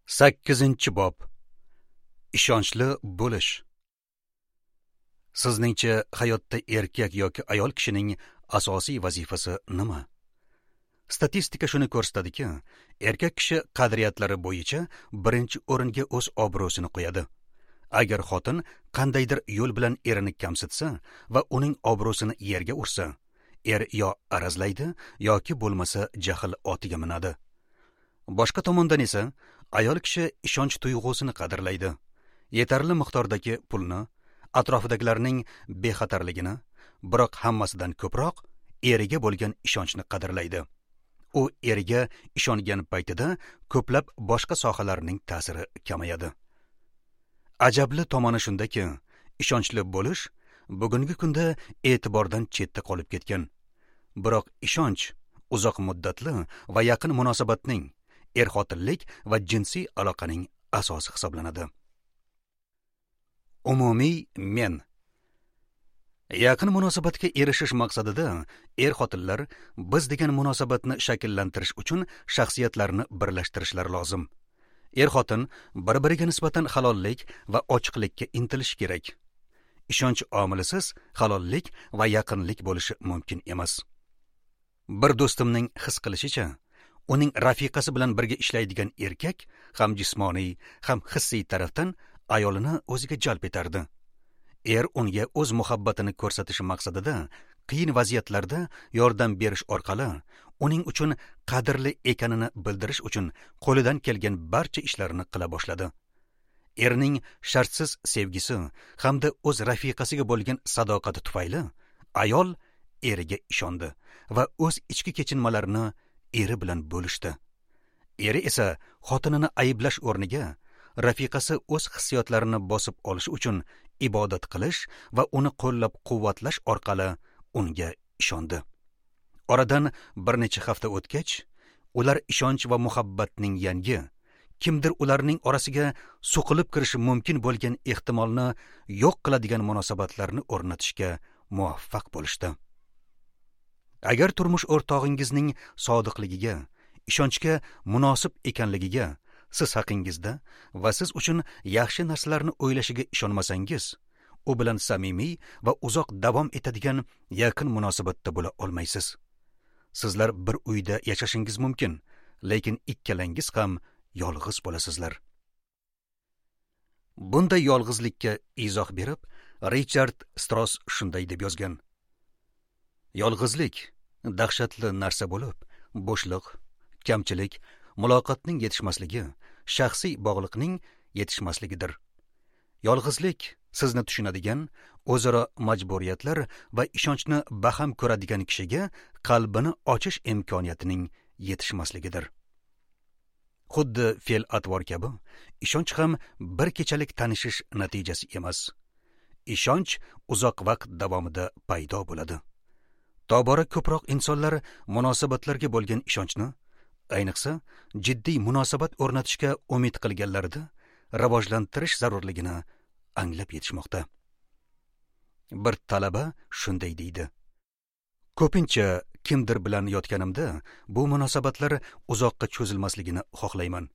8-bob. Ishonchli bo'lish. Sizningcha hayotda erkak yoki ayol kishining asosiy vazifasi nima? Statistika shuni ko'rsatadiki, erkak kishi qadriyatlari bo'yicha birinchi o'ringa o'z obro'sini qo'yadi. Agar xotin qandaydir yo'l bilan erini kamsitsa va uning obro'sini yerga ursa, er yo arazlaydi yoki bo'lmasa jahl otiga minadi. Boshqa tomondan esa ayol kishi ishonch tuyg'usini qadrlaydi. Yetarli miqdordagi pulni, atrofidagilarning bexatarligini, biroq hammasidan ko'proq eriga bo'lgan ishonchni qadrlaydi. U eriga ishongan paytida ko'plab boshqa sohalarning ta'siri kamayadi. Ajabli tomoni shundaki, ishonchli bo'lish bugungi kunda e'tibordan chetda qolib ketgan. Biroq ishonch uzoq muddatli va yaqin munosabatning, er-xotinlik va jinsiy aloqaning asosi hisoblanadi. Umumiy men. Yaqin munosabatga erishish maqsadida er-xotinlar biz degan munosabatni shakllantirish uchun shaxsiyatlarni birlashtirishlari lozim. Er-xotin bir-biriga nisbatan halollik va ochiqlikka intilishi kerak. Ishonch omilisiz halollik va yaqinlik bo'lishi mumkin emas. Bir do'stimning his qilishicha, uning rafiqasi bilan birga ishlaydigan erkak ham jismoniy, ham hissiy tarafdan ayolini o'ziga jalb etardi. Er unga o'z muhabbatini ko'rsatish maqsadida qiyin vaziyatlarda yordam berish orqali uning uchun qadrli ekanini bildirish uchun qo'lidan kelgan barcha ishlarni qila boshladi. Erning shartsiz sevgisi hamda o'z rafiqasiga bo'lgan sadoqati tufayli ayol eriga ishondi va o'z ichki kechinmalarini eri bilan bo'lishdi. Eri esa xotinini ayblash o'rniga rafiqasi o'z hissiyotlarini bosib olish uchun ibodat qilish va uni qo'llab-quvvatlash orqali unga ishondi. Oradan bir necha hafta o'tgach, ular ishonch va muhabbatning yangi, kimdir ularning orasiga suqilib kirishi mumkin bo'lgan ehtimolni yo'q qiladigan munosabatlarni o'rnatishga muvaffaq bo'lishdi. Agar turmush o'rtog'ingizning sodiqligiga, ishonchga munosib ekanligiga, siz haqingizda va siz uchun yaxshi narsalarni o'ylashiga ishonmasangiz, u bilan samimiy va uzoq davom etadigan yaqin munosabatda bo'la olmaysiz. Sizlar bir uyda yashashingiz mumkin, lekin ikkalangiz ham yolg'iz bo'lasizlar. Bunday yolg'izlikka izoh berib, Richard Strauss shunday deb yozgan: Yolg'izlik dahshatli narsa bo'lib, bo'shliq, kamchilik, muloqotning yetishmasligi, shaxsiy bog'liqning yetishmasligidir. Yolg'izlik sizni tushunadigan, o'zaro majburiyatlar va ishonchni baham ko'radigan kishiga qalbini ochish imkoniyatining yetishmasligidir. Xuddi fe'l-atvor kabi, ishonch ham bir kechalik tanishish natijasi emas. Ishonch uzoq vaqt davomida paydo bo'ladi. Tobora ko'proq insonlar munosabatlarga bo'lgan ishonchni, ayniqsa jiddiy munosabat o'rnatishga umid qilganlarida rivojlantirish zarurligini anglab yetishmoqda. Bir talaba shunday deydi: Ko'pincha kimdir bilan yotganimda bu munosabatlar uzoqqa cho'zilmasligini xohlayman.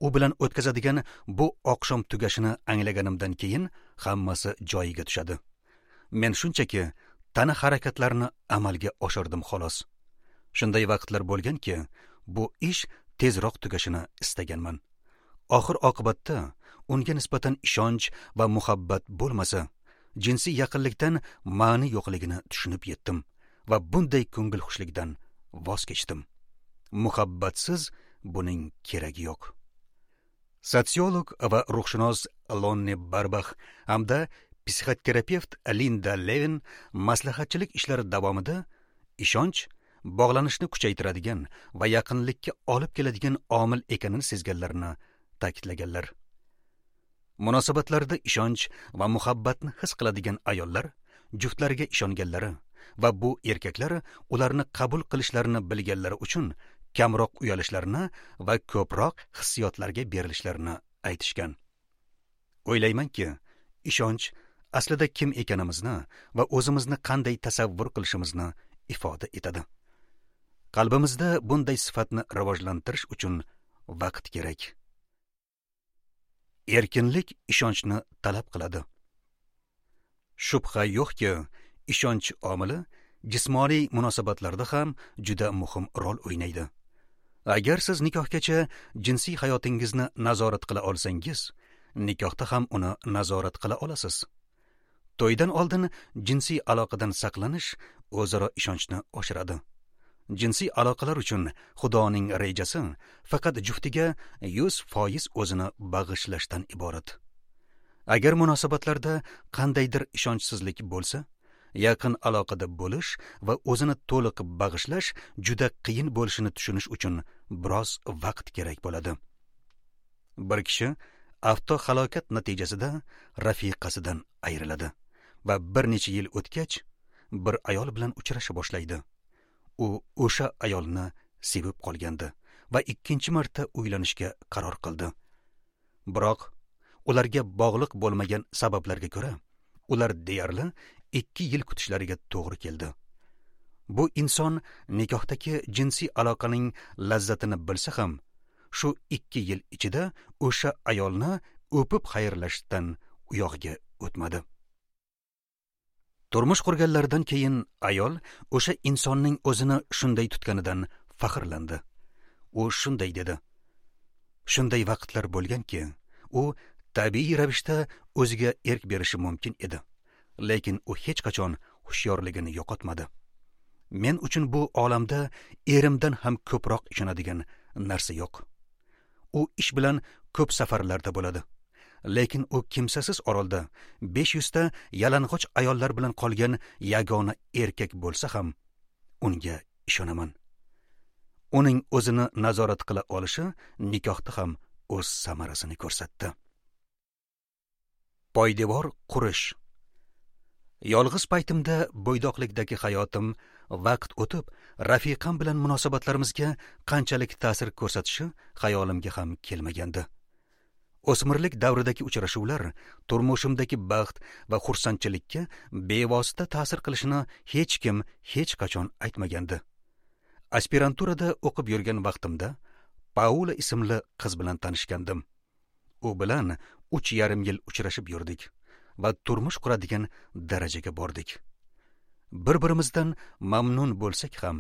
U bilan o'tkazadigan bu oqshom tugashini anglaganimdan keyin hammasi joyiga tushadi. Men shunchaki tana harakatlarini amalga oshirdim xolos. Shunday vaqtlar bo'lganki, bu ish tezroq tugashini istaganman. Oxir oqibatda unga nisbatan ishonch va muhabbat bo'lmasa, jinsiy yaqinlikdan ma'ni yo'qligini tushunib yetdim va bunday ko'ngil xushlikdan voz kechdim. Muhabbatsiz buning keragi yo'q. Sotsiolog va ruhshunos Lonni Barbax hamda psixoterapevt Linda Levin maslahatchilik ishlari davomida ishonch bog'lanishni kuchaytiradigan va yaqinlikka olib keladigan omil ekanini sezganlarini ta'kidlaganlar. Munosabatlarda ishonch va muhabbatni his qiladigan ayollar juftlariga ishonganlari va bu erkaklar ularni qabul qilishlarini bilganlari uchun kamroq uyalishlarini va ko'proq hissiyotlarga berilishlarini aytishgan. O'ylaymanki, ishonch aslida kim ekanimizni va o'zimizni qanday tasavvur qilishimizni ifoda etadi. Qalbimizda bunday sifatni rivojlantirish uchun vaqt kerak. Erkinlik ishonchni talab qiladi. Shubha yo'qki, ishonch omili jismoniy munosabatlarda ham juda muhim rol o'ynaydi. Agar siz nikohgacha jinsiy hayotingizni nazorat qila olsangiz, nikohda ham uni nazorat qila olasiz. To'ydan oldin jinsiy aloqadan saqlanish o'zaro ishonchni oshiradi. Jinsiy aloqalar uchun Xudoning rejasi faqat juftiga 100% o'zini bag'ishlashdan iborat. Agar munosabatlarda qandaydir ishonchsizlik bo'lsa, yaqin aloqada bo'lish va o'zini to'liq bag'ishlash juda qiyin bo'lishini tushunish uchun biroz vaqt kerak bo'ladi. Bir kishi avtohalokat natijasida rafiqasidan ayriladi va bir necha yil o'tgach bir ayol bilan uchrasha boshlaydi. U o'sha ayolni sevib qolgandi va ikkinchi marta uylanishga qaror qildi. Biroq ularga bog'liq bo'lmagan sabablarga ko'ra, ular deyarli 2 yil kutishlariga to'g'ri keldi. Bu inson nikohdagi jinsiy aloqaning lazzatini bilsa ham, shu 2 yil ichida o'sha ayolni o'pib xayrlashdan uyog'iga o'tmadi. Turmush qurganlaridan keyin ayol o'sha insonning o'zini shunday tutganidan faxrlandi. U shunday dedi: "Shunday vaqtlar bo'lganki, u tabiiy ravishda o'ziga erk berishi mumkin edi, lekin u hech qachon hushyorligini yo'qotmadi. Men uchun bu olamda erimdan ham ko'proq ishonadigan narsa yo'q. U ish bilan ko'p safarlarda bo'ladi, lekin u kimsasiz orolda 500 ta yalang'och ayollar bilan qolgan yagona erkak bo'lsa ham unga ishonaman. Uning o'zini nazorat qila olishi nikohda ham o'z samarasini ko'rsatdi." Poydevor qurish. Yolg'iz paytimda bo'ydoqlikdagi hayotim vaqt o'tib rafiqam bilan munosabatlarimizga qanchalik ta'sir ko'rsatishi xayolimga ham kelmagandi. O'smirlik davridagi uchrashuvlar turmushimdagi baxt va xursandchilikka bevosita ta'sir qilishini hech kim hech qachon aytmagandi. Aspiranturada o'qib yurgan vaqtimda Paula ismli qiz bilan tanishgandim. U bilan 3,5 yil uchrashib yurdik va turmush quradigan darajaga bordik. Bir-birimizdan mamnun bo'lsak ham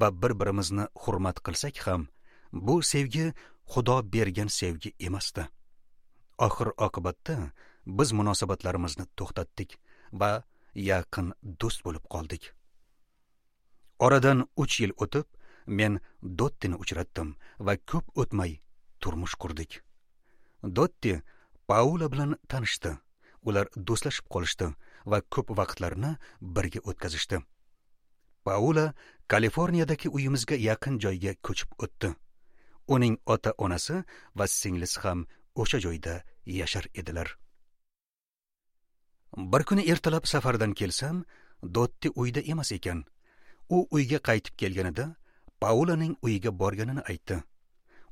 va bir-birimizni hurmat qilsak ham, bu sevgi Xudo bergan sevgi emasdi. Oxir oqibatda biz munosabatlarimizni to'xtatdik va yaqin do'st bo'lib qoldik. Oradan 3 yil o'tib, men Dottini uchratdim va ko'p o'tmay turmush qurdik. Dotti Paula bilan tanishdi. Ular do'stlashib qolishdi va ko'p vaqtlarini birga o'tkazishdi. Paula Kaliforniyadagi uyimizga yaqin joyga ko'chib o'tdi. Uning ota-onasi va singlisi ham o'sha joyda yashar edilar. Bir kuni ertalab safardan kelsam, Dotti uyda emas ekan. U uyga qaytib kelganida Paulaning uyiga borganini aytdi.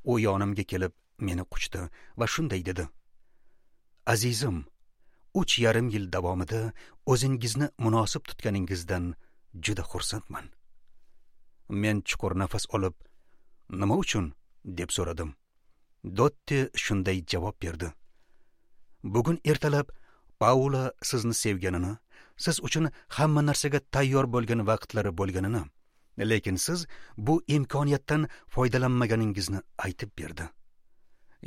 U yonimga kelib meni quchdi va shunday dedi: "Azizim, 3,5 yil davomida o'zingizni munosib tutganingizdan juda xursandman." Men chuqur nafas olib, "Nima uchun?" deb so'radim. Dotti shunday javob berdi: "Bugun ertalab Paula sizni sevganini, siz uchun hamma narsaga tayyor bo'lgan vaqtlari bo'lganini, lekin siz bu imkoniyatdan foydalanmaganingizni aytib berdi.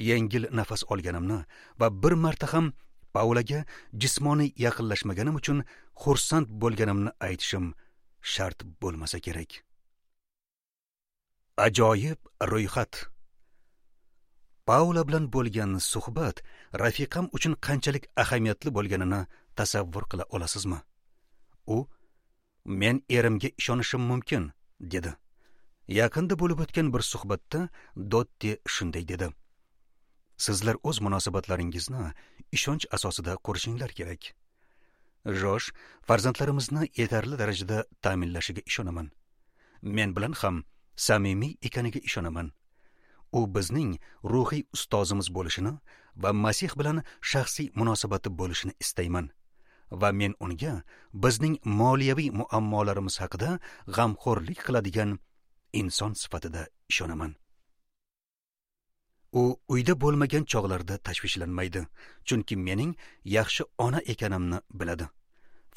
Yengil nafas olganimni va bir marta ham Paulaga jismoniy yaqinlashmaganim uchun xursand bo'lganimni aytishim shart bo'lmasa kerak." Ajoyib ro'yxat. Paula bilan bo'lgan suhbat rafiqam uchun qanchalik ahamiyatli bo'lganini tasavvur qila olasizmi? U "Men erimga ishonishim mumkin" dedi. Yaqinda bo'lib o'tgan bir suhbatda Dotti shunday dedi: "Sizlar o'z munosabatlaringizni ishonch asosida qurishinglar kerak. Josh farzandlarimizni yetarli darajada ta'minlashiga ishonaman. Men bilan ham samimiy ekaniga ishonaman. U bizning ruhiy ustozimiz bo'lishini va Masih bilan shaxsiy munosabati bo'lishini istayman. Va men unga bizning moliyaviy muammolarimiz haqida g'amxo'rlik qiladigan inson sifatida ishonaman." U uyda bo'lmagan chog'larda tashvishlanmaydi, chunki mening yaxshi ona ekanimni biladi.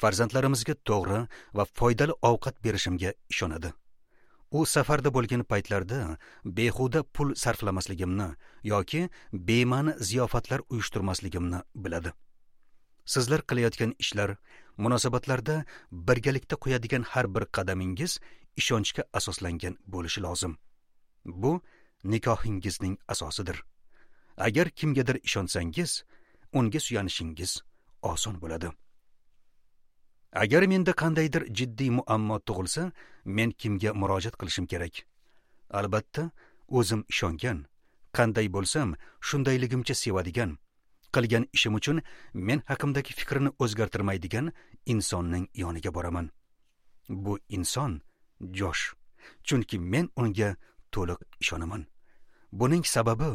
Farzandlarimizga to'g'ri va foydali ovqat berishimga ishonadi. U safarda bo'lgan paytlarda behuda pul sarflamasligimni yoki bema'ni ziyofatlar uyushtirmasligimni biladi. Sizlar qilayotgan ishlar, munosabatlarda birgalikda qo'yadigan har bir qadamingiz ishonchga asoslangan bo'lishi lozim. Bu nikohingizning asosidir. Agar kimgadir ishonsangiz, unga suyanishingiz oson bo'ladi. Agar menda qandaydir jiddiy muammo tug'ilsa, men kimga murojaat qilishim kerak? Albatta, o'zim ishongan, qanday bo'lsam, shundayligimcha sevadigan, qilgan ishim uchun men haqimdagi fikrini o'zgartirmaydigan insonning yoniga boraman. Bu inson Josh, chunki men unga to'liq ishonaman. Buning sababi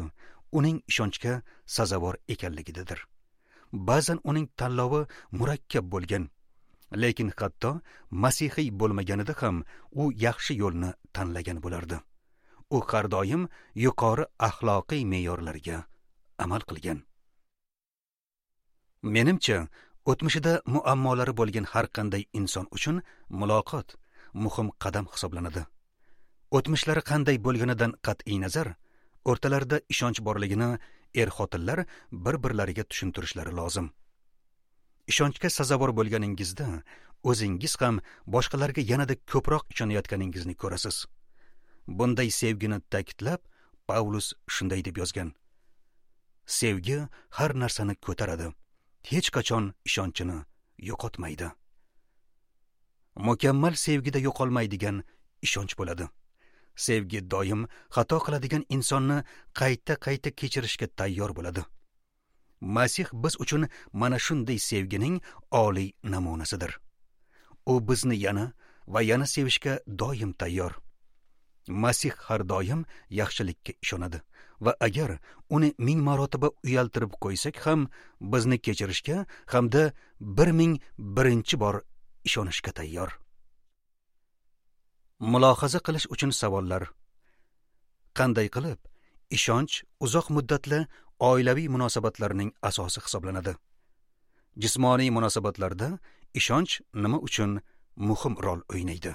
uning ishonchga sazovor ekanligidadir. Ba'zan uning tanlovi murakkab bo'lgan, lekin hatto masihiy bo'lmaganida ham u yaxshi yo'lni tanlagan bo'lardi. U har doim yuqori axloqiy me'yorlarga amal qilgan. Menimcha, o'tmishida muammolari bo'lgan har qanday inson uchun muloqot muhim qadam hisoblanadi. O'tmishlari qanday bo'lganidan qat'iy nazar, o'rtalarida ishonch borligini er-xotinlar bir-birlariga tushuntirishlari lozim. Ishonchga sazovor bo'lganingizda o'zingiz ham boshqalarga yanada ko'proq ishonayotganingizni ko'rasiz. Bunday sevgini ta'kidlab, Pavlus shunday deb yozgan: Sevgi har narsani ko'taradi, hech qachon ishonchini yo'qotmaydi. Mukammal sevgida yo'qolmaydigan ishonch bo'ladi. Sevgi doim xato qiladigan insonni qayta-qayta kechirishga tayyor bo'ladi. Masih biz uchun mana shunday sevgining oliy namunasidir. U bizni yana va yana sevishga doim tayyor. Masih har doim yaxshilikka ishonadi va agar uni 1000 marotaba uyaltirib qo'ysak ham bizni kechirishga hamda 1001 bor ishonishga tayyor. Mulohaza qilish uchun savollar. Qanday qilib ishonch uzoq muddatli oilaviy munosabatlarning asosi hisoblanadi? Jismoniy munosabatlarda ishonch nima uchun muhim rol o'ynaydi?